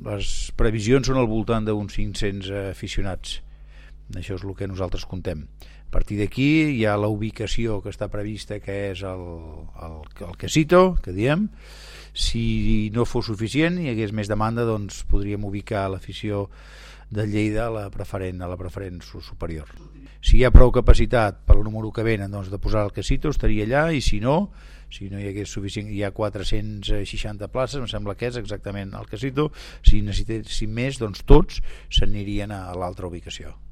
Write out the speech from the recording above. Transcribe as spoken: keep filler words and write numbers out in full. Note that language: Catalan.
les previsions són al voltant d'uns cinc-cents aficionats. Això és el que nosaltres contem. A partir d'aquí hi ha la ubicació que està prevista, que és el, el, el Casito, que diem. Si no fos suficient i hi hagués més demanda, doncs podríem ubicar l'afició de Lleida a la preferent, a la preferent superior. Si hi ha prou capacitat per al número que venen, doncs, de posar el Casito, estaria allà, i si no, si no hi hagués suficient, hi ha quatre-cents seixanta places, em sembla que és exactament el Casito. Si necessitéssim més, doncs tots s'anirien a l'altra ubicació.